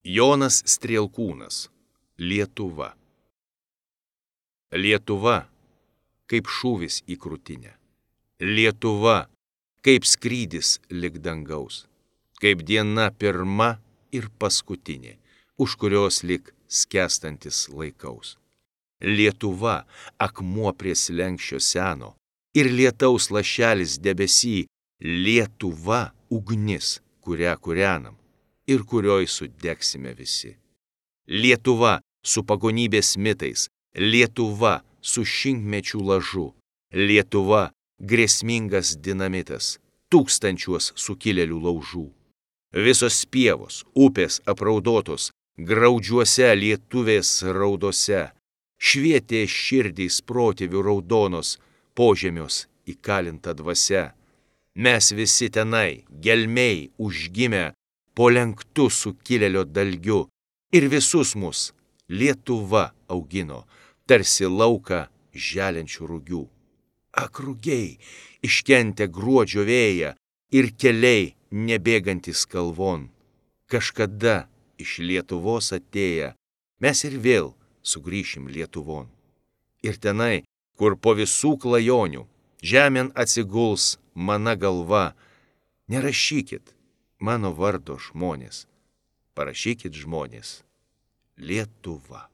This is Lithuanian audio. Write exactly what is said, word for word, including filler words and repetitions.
Jonas Strielkūnas. Lietuva. Lietuva kaip šūvis į krūtinę. Lietuva kaip skrydis lig dangaus. Kaip diena pirma ir paskutinė, už kurios lig skęstantis laikaus. Lietuva akmuo prie slenksčio seno ir lietaus lašelis debesy. Lietuva ugnis, kurią kūrenam ir kurioj sudegsime visi. Lietuva su pagonybės mitais, Lietuva su šimtmečių lažu, Lietuva grėsmingas dinamitas, tūkstančiuos sukilėlių laužų. Visos pievos, upės apraudotos, graudžiuose lietuvės raudose, švietė širdys protėvių raudonos, požemios įkalinta dvasia. Mes visi tenai, gelmiai užgimę, po lenktu sukilėlio dalgiu, ir visus mus Lietuva augino, tarsi lauką želiančių rugių. Ak, rugiai, iškentę gruodžio vėją ir keliai nebėgantys kalvon. Kažkada iš Lietuvos atėję, mes ir vėl sugrįšim Lietuvon. Ir tenai, kur po visų klajonių žemėn atsiguls mana galva, nerašykit mano vardo žmonės, parašykit žmonės Lietuva.